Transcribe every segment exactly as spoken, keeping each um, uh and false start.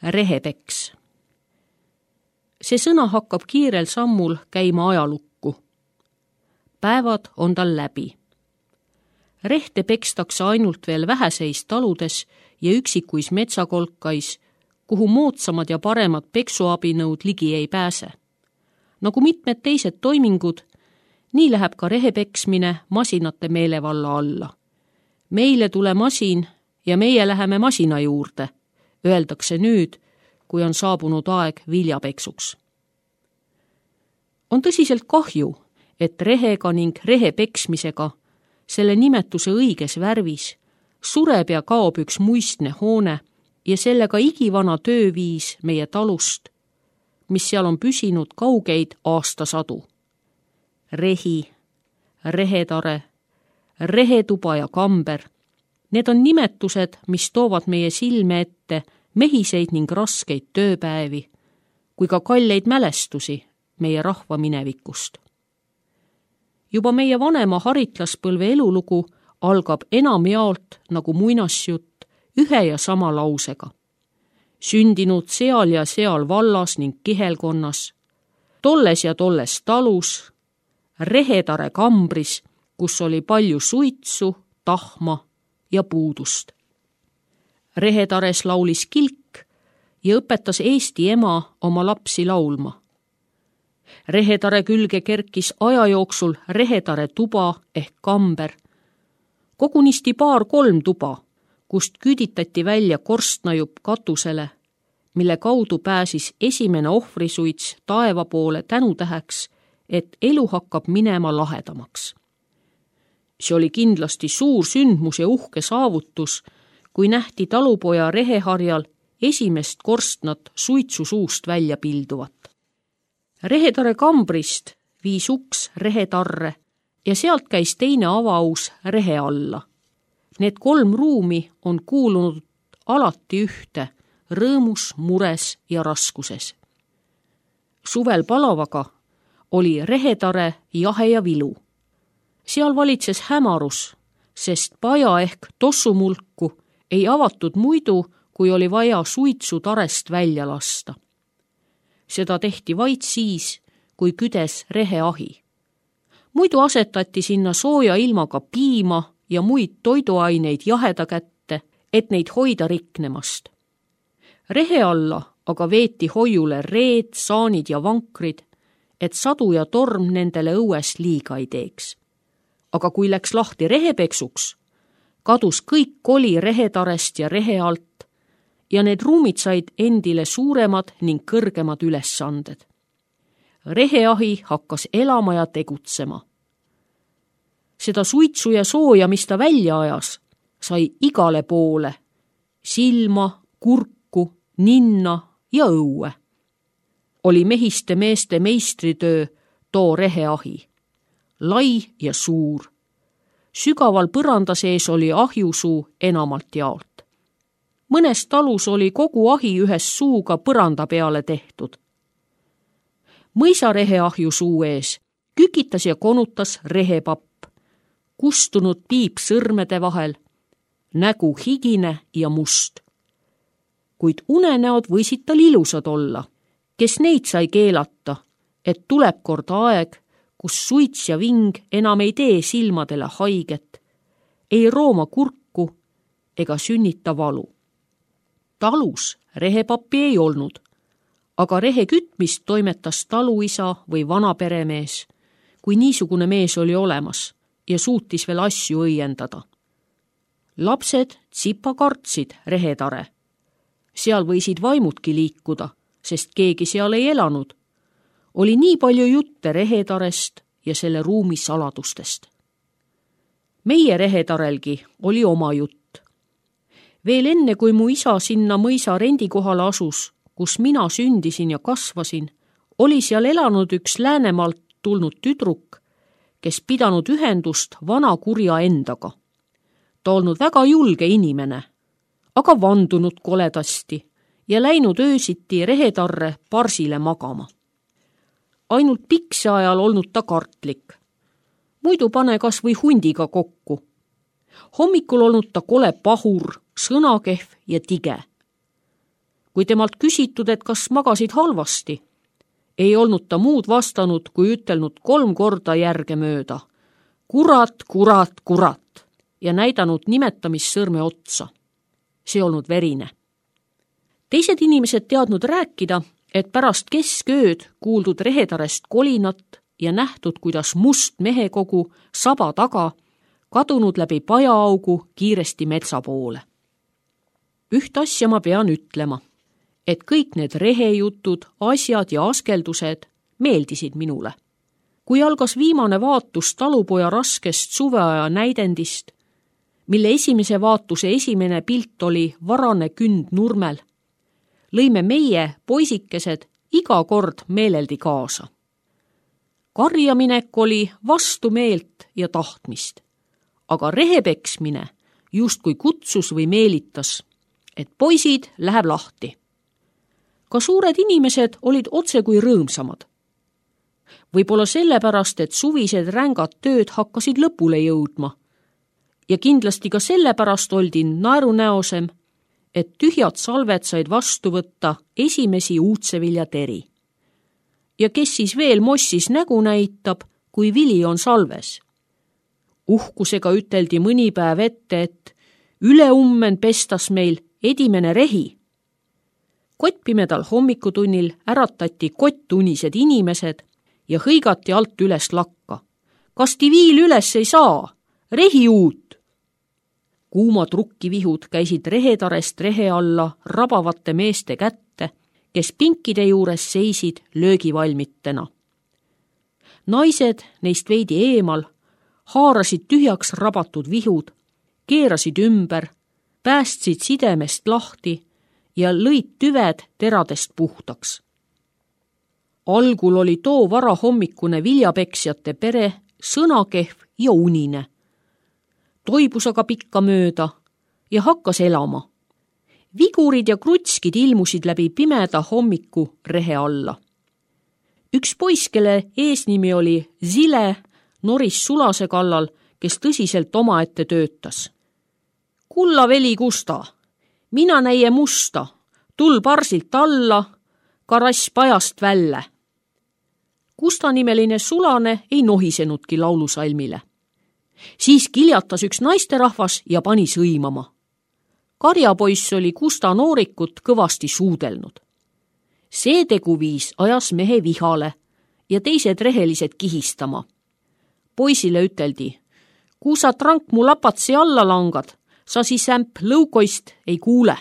Rehepeks. See sõna hakkab kiirel sammul käima ajalukku. Päevad on tal läbi. Rehte pekstakse ainult veel väheseis taludes ja üksikuis metsakolkais, kuhu moodsamad ja paremad peksuabinõud ligi ei pääse. Nagu mitmed teised toimingud, nii läheb ka rehepeksmine masinate meelevalla alla. Meile tule masin ja meie läheme masina juurde, öeldakse nüüd, kui on saabunud aeg viljapeksuks. On tõsiselt kahju, et rehega ning rehepeksmisega, selle nimetuse õiges värvis, sureb ja kaob üks muistne hoone ja sellega igivana tööviis meie talust, mis seal on püsinud kaugeid aastasadu. Rehi, rehetare, rehetuba ja kamber, need on nimetused, mis toovad meie silme ette mehiseid ning raskeid tööpäevi, kui ka kalleid mälestusi meie rahva minevikust. Juba meie vanema haritlaspõlve elulugu algab enamjaolt nagu muinasjutt ühe ja sama lausega. Sündinud seal ja seal vallas ning kihelkonnas, tolles ja tolles talus, rehetare kambris, kus oli palju suitsu, tahma ja puudust. Rehetares laulis kilk ja õpetas Eesti ema oma lapsi laulma. Rehetare külge kerkis aja jooksul rehetare tuba ehk kamber, kogunisti paar-kolm tuba, kust küüditati välja korstnajupp katusele, mille kaudu pääsis esimene ohvrisuits taeva poole tänutäheks, et elu hakkab minema lahedamaks. See oli kindlasti suur sündmus ja uhke saavutus, kui nähti talupoja reheharjal esimest korstnat suitsu suust välja pilduvat. Rehetare kambrist viis uks rehetarre ja sealt käis teine avaus rehe alla. Need kolm ruumi on kuulunud alati ühte, rõõmus, mures ja raskuses. Suvel palavaga oli rehetare jahe ja vilu. Seal valitses hämarus, sest paja ehk tossumulku ei avatud muidu, kui oli vaja suitsu tarest välja lasta. Seda tehti vaid siis, kui küdes reheahi. Muidu asetati sinna sooja ilmaga piima ja muid toiduaineid jaheda kätte, et neid hoida riknemast. Rehe alla aga veeti hoiule reed, saanid ja vankrid, et sadu ja torm nendele õues liiga ei teeks. Aga kui läks lahti rehepeksuks, kadus kõik koli rehetarest ja rehe alt ja need ruumid said endile suuremad ning kõrgemad ülesanded. Reheahi hakkas elama ja tegutsema. Seda suitsu ja sooja, mis ta välja ajas, sai igale poole, silma, kurku, ninna ja õue. Oli mehiste meeste meistritöö too reheahi. Lai ja suur. Sügaval põranda sees oli ahjusuu enamalt jaolt. Mõnes talus oli kogu ahi ühes suuga põranda peale tehtud. Mõisareheahju suu ees kükitas ja konutas rehepapp, kustunud piip sõrmede vahel, nägu higine ja must. Kuid unenäod võisid tal ilusad olla, kes neid sai keelata, et tuleb kord aeg, kus suits ja ving enam ei tee silmadele haiget, ei rooma kurku ega sünnita valu. Talus rehepappi ei olnud, aga rehe kütmist toimetas taluisa või vanaperemees, kui niisugune mees oli olemas ja suutis veel asju õiendada. Lapsed tsipa kartsid rehetare. Seal võisid vaimudki liikuda, sest keegi seal ei elanud. Oli nii palju jutte rehetarest ja selle ruumi saladustest. Meie rehetarelgi oli oma jutt. Veel enne, kui mu isa sinna mõisa rendikohale asus, kus mina sündisin ja kasvasin, oli seal elanud üks Läänemaalt tulnud tüdruk, kes pidanud ühendust vana kurja endaga. Ta olnud väga julge inimene, aga vandunud koledasti ja läinud öösiti rehetarre parsile magama. Ainult pikse ajal olnud ta kartlik. Muidu pane kas või hundiga kokku. Hommikul olnud ta kole pahur, sõnakehv ja tige. Kui temalt küsitud, et kas magasid halvasti, ei olnud ta muud vastanud, kui ütelnud kolm korda järge mööda. Kurat, kurat, kurat ja näidanud nimetamissõrme otsa. See olnud verine. Teised inimesed teadnud rääkida, et pärast keskööd kuuldud rehetarest kolinat ja nähtud, kuidas must mehekogu saba taga kadunud läbi pajaaugu kiiresti metsa poole. Üht asja ma pean ütlema, et kõik need rehejutud, asjad ja askeldused meeldisid minule. Kui algas viimane vaatus talupoja raskest suveaja näidendist, mille esimese vaatuse esimene pilt oli varane künd nurmel, lõime meie, poisikesed, iga kord meeleldi kaasa. Karjaminek oli vastu meelt ja tahtmist, aga rehepeksmine justkui kutsus või meelitas, et poisid läheb lahti. Ka suured inimesed olid otse kui rõõmsamad. Võib-olla sellepärast, et suvised rängad tööd hakkasid lõpule jõudma ja kindlasti ka sellepärast oldi naerunäosem, et tühjad salved said vastu võtta esimesi uudseviljateri. Ja kes siis veel mossis nägu näitab, kui vili on salves? Uhkusega üteldi mõni päev ette, et üleummen pestas meil edimene rehi. Kottpimedal hommikutunnil äratati kottunised inimesed ja hõigati alt üles lakka. Kas ti viil üles ei saa? Rehi uut! Kuumad rukkivihud käisid rehetarest rehe alla rabavate meeste kätte, kes pinkide juures seisid löögivalmitena. Naised neist veidi eemal haarasid tühjaks rabatud vihud, keerasid ümber, päästsid sidemest lahti ja lõid tüved teradest puhtaks. Algul oli too varahommikune viljapeksjate pere sõnakehv ja unine. Toibus aga pikka mööda ja hakkas elama. Vigurid ja krutskid ilmusid läbi pimeda hommiku rehe alla. Üks poiss, kelle eesnimi oli Zile, noris Sulase kallal, kes tõsiselt omaette töötas. Kulla veli Kusta, mina näie musta, tul parsilt alla, karass pajast välle. Kusta nimeline Sulane ei nohisenudki laulusalmile. Siis kiljatas üks naisterahvas ja pani sõimama. Karjapoiss oli Kusta noorikut kõvasti suudelnud. See teguviis ajas mehe vihale ja teised rehelised kihistama. Poisile üteldi, kui sa trank mu lapatsi alla langad, sa siis ämp lõukoist ei kuule.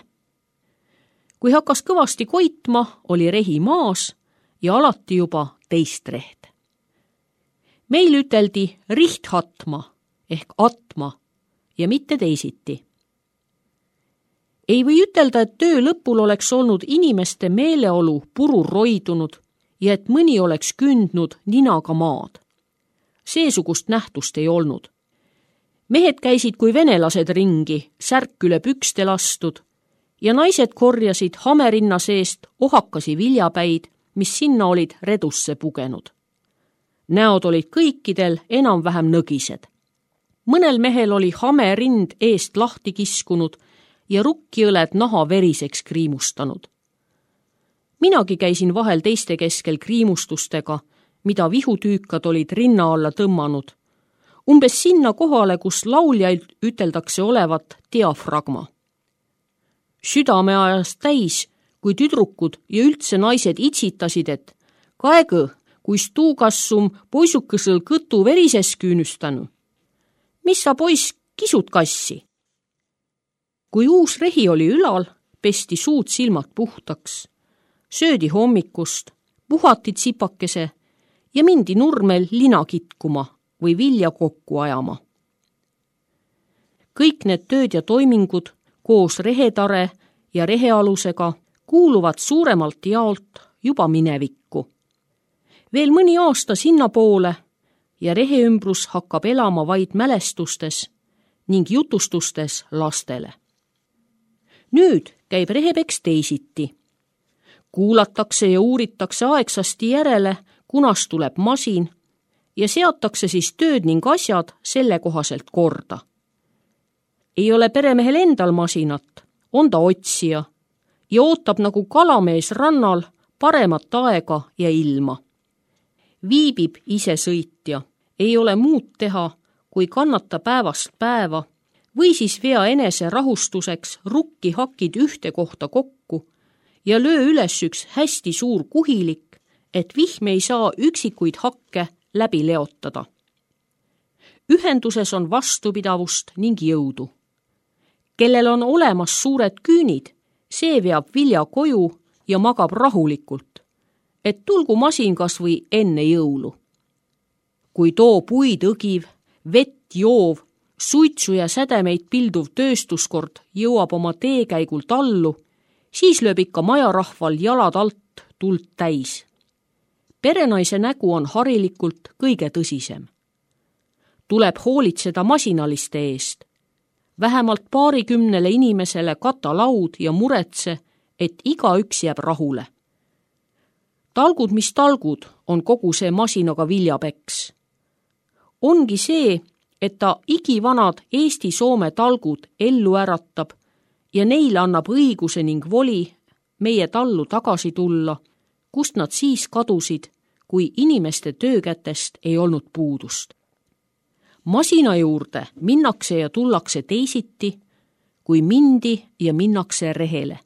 Kui hakkas kõvasti koitma, oli rehi maas ja alati juba teist reht. Meil üteldi rihthatma ehk atma ja mitte teisiti. Ei või ütelda, et töö lõpul oleks olnud inimeste meeleolu purur roidunud ja et mõni oleks kündnud ninaga maad. Seesugust nähtust ei olnud. Mehed käisid kui venelased ringi, särk üle pükste lastud ja naised korjasid hamerinna seest ohakasi viljapäid, mis sinna olid redusse pugenud. Näod olid kõikidel enam-vähem nõgised. Mõnel mehel oli hame rind eest lahti kiskunud ja rukkiõled naha veriseks kriimustanud. Minagi käisin vahel teiste keskel kriimustustega, mida vihutüükad olid rinna alla tõmmanud, umbes sinna kohale, kus lauljaid üteldakse olevat diafragma. Südame ajas täis, kui tüdrukud ja üldse naised itsitasid, et kaegu, kuis tuukassum poisukõsõl kõtu verises küünüstanu. Mis sa poiss kisud kassi? Kui uus rehi oli ülal, pesti suud silmad puhtaks, söödi hommikust, puhati tsipakese ja mindi nurmel lina kitkuma või vilja kokku ajama. Kõik need tööd ja toimingud koos rehetare ja rehealusega kuuluvad suuremalt jaolt juba minevikku. Veel mõni aasta sinna poole ja reheümbrus hakkab elama vaid mälestustes ning jutustustes lastele. Nüüd käib rehepeks teisiti. Kuulatakse ja uuritakse aegsasti järele, kunas tuleb masin ja seatakse siis tööd ning asjad selle kohaselt korda. Ei ole peremehel endal masinat, on ta otsija ja ootab nagu kalamees rannal paremat aega ja ilma. Viibib ise sõitja, ei ole muud teha, kui kannata päevast päeva või siis vea enese rahustuseks rukki hakid ühte kohta kokku ja löö üles üks hästi suur kuhilik, et vihm ei saa üksikuid hakke läbi leotada. Ühenduses on vastupidavust ning jõudu. Kellel on olemas suured küünid, see veab vilja koju ja magab rahulikult, et tulgu masin kas või enne jõulu. Kui too puid õgiv, vett joov, suitsu ja sädemeid pilduv tööstuskord jõuab oma teekäigult allu, siis lööb ikka majarahval jalad alt tuld täis. Perenaise nägu on harilikult kõige tõsisem. Tuleb hoolitseda masinaliste eest. Vähemalt paarikümnele inimesele kata laud ja muretse, et igaüks jääb rahule. Talgud, mis talgud, on kogu see masinaga viljapeks. Ongi see, et ta igivanad Eesti-Soome talgud ellu äratab ja neile annab õiguse ning voli meie tallu tagasi tulla, kust nad siis kadusid, kui inimeste töökätest ei olnud puudust. Masina juurde minnakse ja tullakse teisiti, kui mindi ja minnakse rehele.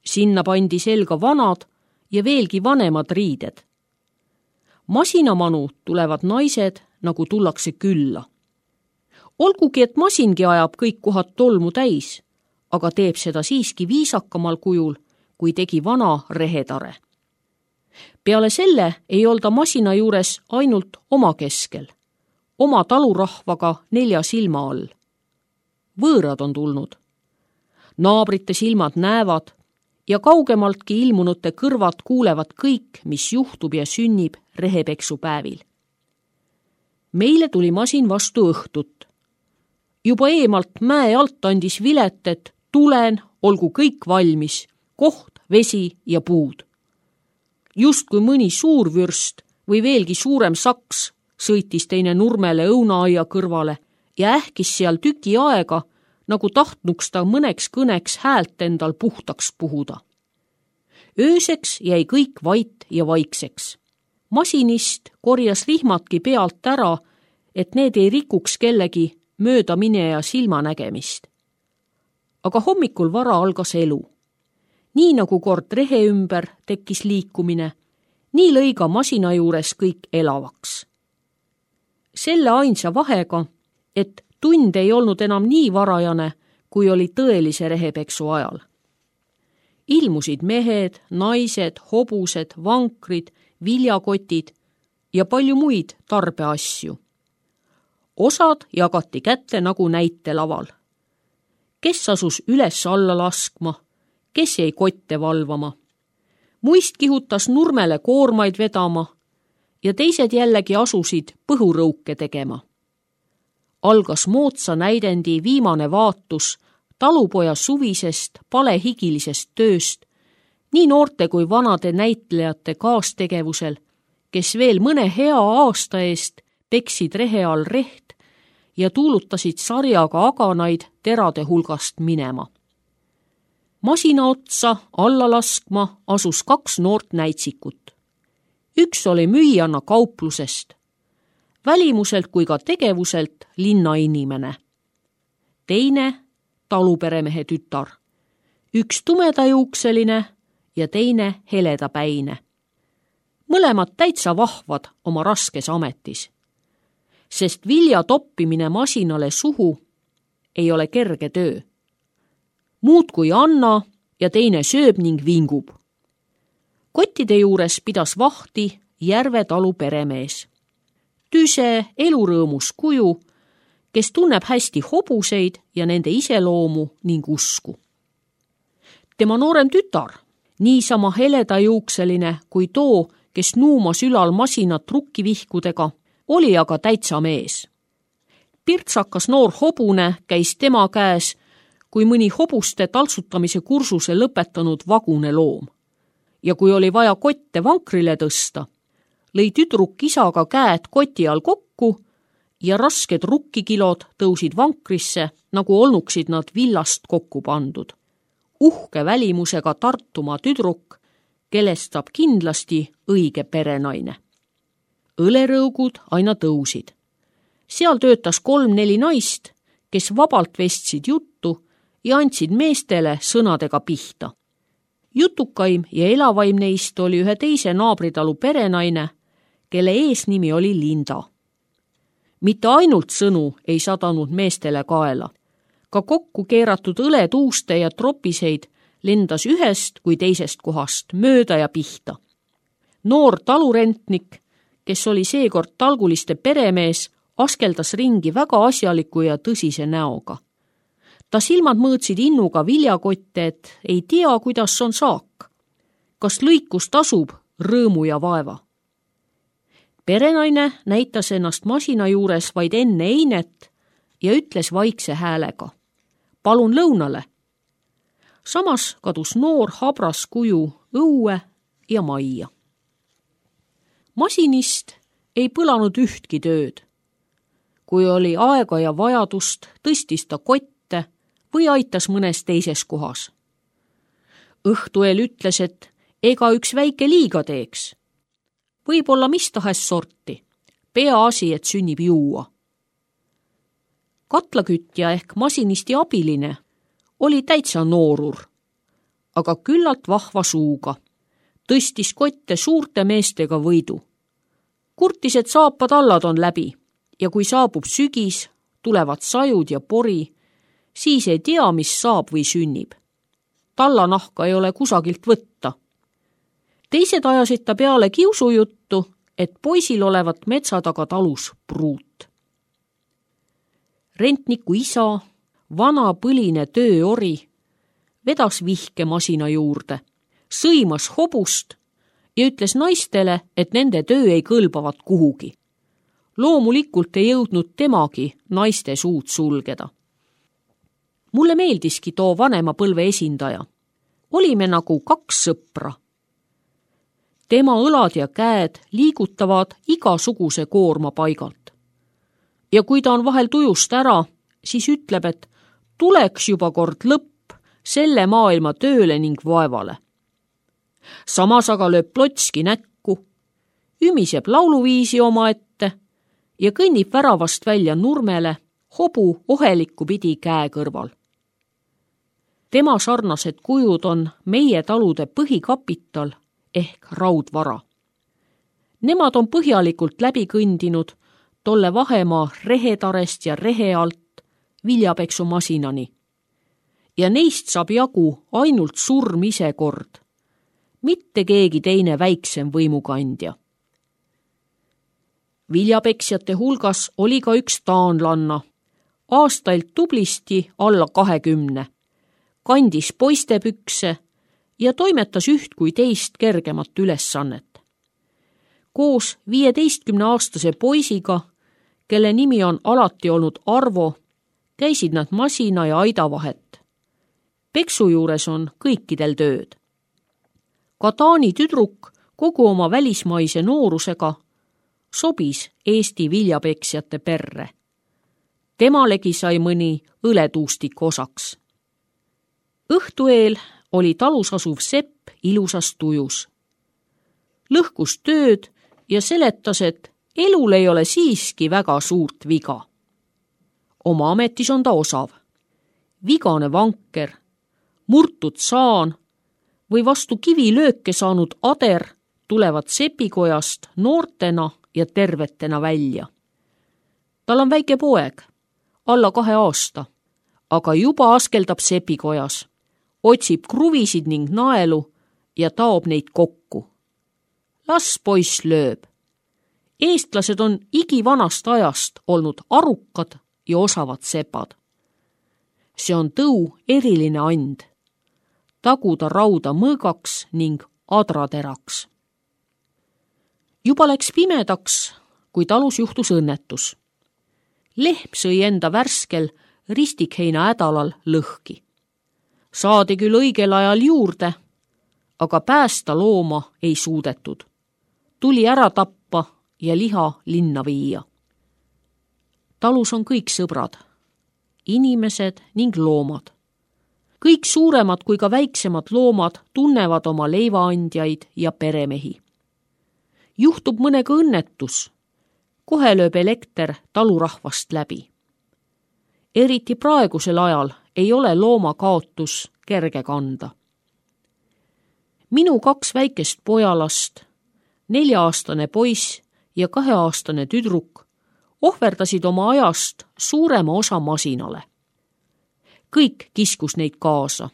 Sinna pandi selga vanad ja veelgi vanemad riided. Masinamanu tulevad naised, nagu tullakse külla. Olgugi, et masingi ajab kõik kohad tolmu täis, aga teeb seda siiski viisakamal kujul, kui tegi vana rehetare. Peale selle ei olda masina juures ainult oma keskel, oma talurahvaga nelja silma all. Võõrad on tulnud. Naabrite silmad näevad ja kaugemaltki ilmunute kõrvad kuulevad kõik, mis juhtub ja sünnib rehepeksupäevil. Meile tuli masin vastu õhtut. Juba eemalt mäe alt andis vilet, et tulen, olgu kõik valmis, koht, vesi ja puud. Just kui mõni suur vürst või veelgi suurem saks sõitis teine nurmele õunaaia kõrvale ja ähkis seal tüki aega, nagu tahtnuks ta mõneks kõneks häält endal puhtaks puhuda. Ööseks jäi kõik vait ja vaikseks. Masinist korjas rihmatki pealt ära, et need ei rikuks kellegi mööda mineja silmanägemist. Aga hommikul vara algas elu. Nii nagu kord rehe ümber tekkis liikumine, nii lõi ka masina juures kõik elavaks. Selle ainsa vahega, et tund ei olnud enam nii varajane, kui oli tõelise rehepeksu ajal. Ilmusid mehed, naised, hobused, vankrid, viljakotid ja palju muid tarbeasju. Osad jagati kätte nagu näitelaval. Kes asus üles alla laskma, kes jäi kotte valvama. Muist kihutas nurmele koormaid vedama ja teised jällegi asusid põhurõuke tegema. Algas moodsa näidendi viimane vaatus talupoja suvisest palehigilisest tööst, nii noorte kui vanade näitlejate kaastegevusel, kes veel mõne hea aasta eest peksid rehe all reht ja tuulutasid sarjaga aganaid terade hulgast minema. Masina otsa alla laskma asus kaks noort näitsikut. Üks oli müüjana kauplusest, välimuselt kui ka tegevuselt linnainimene. Teine taluperemehe tütar, üks tumedajuukseline ja teine heledapäine. Mõlemad täitsa vahvad oma raskes ametis, sest vilja toppimine masinale suhu ei ole kerge töö. Muud kui anna ja teine sööb ning vingub. Kottide juures pidas vahti Järve talu peremees. Tüse, elurõõmus kuju, kes tunneb hästi hobuseid ja nende iseloomu ning usku. Tema noorem tütar, niisama heledajuukseline kui too, kes nuumas ülal masinat rukkivihkudega, oli aga täitsa mees. Pirtsakas noor hobune käis tema käes, kui mõni hobuste taltsutamise kursuse lõpetanud vagune loom. Ja kui oli vaja kotte vankrile tõsta, lõi tüdruk isaga käed koti all kokku ja rasked rukkikilod tõusid vankrisse, nagu olnuksid nad villast kokku pandud. uhke välimusega Tartumaa tüdruk, kellest saab kindlasti õige perenaine. Õlerõugud aina tõusid. Seal töötas kolm-neli naist, kes vabalt vestsid juttu ja andsid meestele sõnadega pihta. Jutukaim ja elavaim neist oli ühe teise naabritalu perenaine, kelle eesnimi oli Linda. Mitte ainult sõnu ei sadanud meestele kaela. Ka kokku keeratud õletuuste ja tropiseid lendas ühest kui teisest kohast mööda ja pihta. Noor talurentnik, kes oli seekord talguliste peremees, askeldas ringi väga asjaliku ja tõsise näoga. Ta silmad mõõtsid innuga viljakotte, et ei tea, kuidas on saak. Kas lõikus tasub rõõmu ja vaeva? Perenaine näitas ennast masina juures vaid enne einet ja ütles vaikse häälega: palun lõunale. Samas kadus noor habras kuju õue ja majja. Masinist ei põlanud ühtki tööd. Kui oli aega ja vajadust, tõstis ta kotte või aitas mõnes teises kohas. Õhtueel ütles, et ega üks väike liiga teeks. Võib-olla mis tahes sorti, peaasi, et sünnib juua. Katlakütja ehk masinisti abiline oli täitsa noorur, aga küllalt vahva suuga. Tõstis kotte suurte meestega võidu. Kurtis, et saapad allad on läbi ja kui saabub sügis, tulevad sajud ja pori, siis ei tea, mis saab või sünnib. Tallanahka ei ole kusagilt võtta. Teised ajasid ta peale kiusujuttu, et poisil olevat metsa taga talus pruut. Rentniku isa, vana põline tööori, vedas vihke masina juurde, sõimas hobust ja ütles naistele, et nende töö ei kõlbavat kuhugi. Loomulikult ei jõudnud temagi naiste suud sulgeda. Mulle meeldiski too vanema põlve esindaja. Olime nagu kaks sõpra. Tema õlad ja käed liigutavad igasuguse koorma paigalt. Ja kui ta on vahel tujust ära, siis ütleb, et tuleks juba kord lõpp selle maailma tööle ning vaevale. Samas aga lööb plotski näkku, ümiseb lauluviisi oma ette ja kõnnib väravast välja nurmele hobu ohelikku pidi käe kõrval. Tema sarnased kujud on meie talude põhikapital ehk raudvara. Nemad on põhjalikult läbi kõndinud tolle vahemaa rehetarest ja rehe alt viljapeksumasinani. Ja neist saab jagu ainult surm ise kord, mitte keegi teine väiksem võimukandja. Viljapeksjate hulgas oli ka üks taanlanna, aastailt tublisti alla kahekümne, kandis poistepükse ja toimetas üht kui teist kergemat ülesannet. Koos viieteistkümneaastase poisiga, kelle nimi on alati olnud Arvo, käisid nad masina ja aida vahet. Peksu juures on kõikidel tööd. Ka Taani tüdruk kogu oma välismaise noorusega sobis Eesti viljapeksjate perre. Temalegi sai mõni õletuustik osaks. Õhtueel oli talus asuv sepp ilusas tujus. Lõhkus tööd ja seletas, et elul ei ole siiski väga suurt viga. Oma ametis on ta osav. Vigane vanker, murtud saan või vastu kivilööke saanud ader tulevad sepikojast noortena ja tervetena välja. Tal on väike poeg, alla kahe aasta, aga juba askeldab sepikojas, otsib kruvisid ning naelu ja taob neid kokku. Las poiss lööb. Eestlased on igivanast ajast olnud arukad ja osavad sepad. See on tõu eriline and. Taguda rauda mõõgaks ning adrateraks. Juba läks pimedaks, kui talus juhtus õnnetus. Lehm sõi enda värskel ristikheina hädalal lõhki. Saadi küll õigel ajal juurde, aga päästa looma ei suudetud. Tuli ära tappa ja liha linna viia. Talus on kõik sõbrad, inimesed ning loomad. kõik suuremad kui ka väiksemad loomad tunnevad oma leivaandjaid ja peremehi. Juhtub mõnega õnnetus, kohe lööb elekter talurahvast läbi. Eriti praegusel ajal ei ole looma kaotus kerge kanda. Minu kaks väikest pojalast, nelja-aastane poiss ja kaheaastane tüdruk ohverdasid oma ajast suurema osa masinale. Kõik kiskus neid kaasa.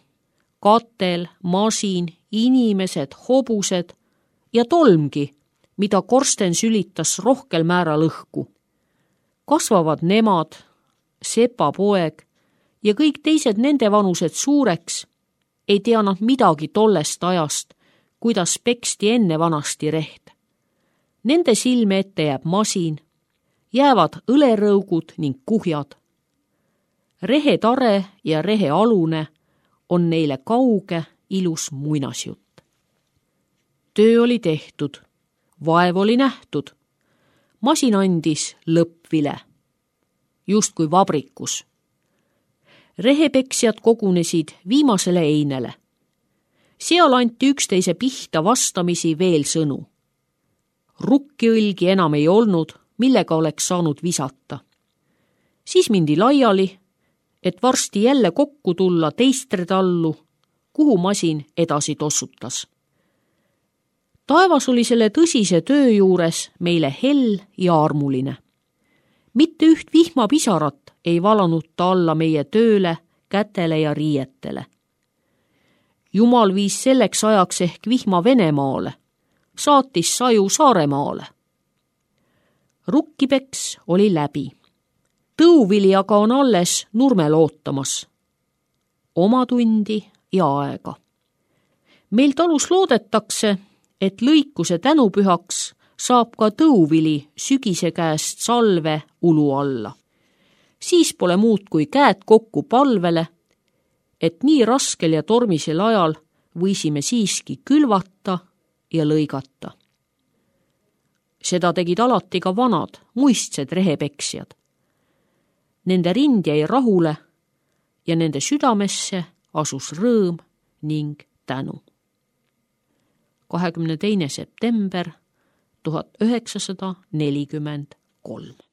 Katel, masin, inimesed, hobused ja tolmgi, mida korsten sülitas rohkel määral õhku. Kasvavad nemad, sepa poeg ja kõik teised nende vanused suureks, ei tea nad midagi tollest ajast, kuidas peksti enne vanasti reht. Nende silme ette jääb masin, jäävad õlerõugud ning kuhjad. Rehetare ja rehealune on neile kauge, ilus muinasjutt. Töö oli tehtud, vaev oli nähtud. Masin andis lõppvile, justkui vabrikus. Rehepeksjad kogunesid viimasele einele. Seal anti üksteise pihta vastamisi veel sõnu. Rukkiõlgi enam ei olnud, millega oleks saanud visata. Siis mindi laiali, et varsti jälle kokku tulla teistre tallu, kuhu masin edasi tossutas. Taevas oli selle tõsise töö juures meile hell ja armuline. Mitte üht vihmapisarat ei valanud ta alla meie tööle, kätele ja riietele. Jumal viis selleks ajaks ehk vihma Venemaale, saatis saju Saaremaale. Rukkipeks oli läbi. Tõuvili aga on alles nurmel ootamas. Oma tundi ja aega. Meil talus loodetakse, et lõikuse tänupühaks saab ka tõuvili sügise käest salve ulu alla. Siis pole muud kui käed kokku palvele, et nii raskel ja tormisel ajal võisime siiski külvata ja lõigata. Seda tegid alati ka vanad, muistsed rehepeksjad. Nende rind jäi rahule ja nende südamesse asus rõõm ning tänu. kahekümne teine september tuhat üheksasada nelikümmend kolm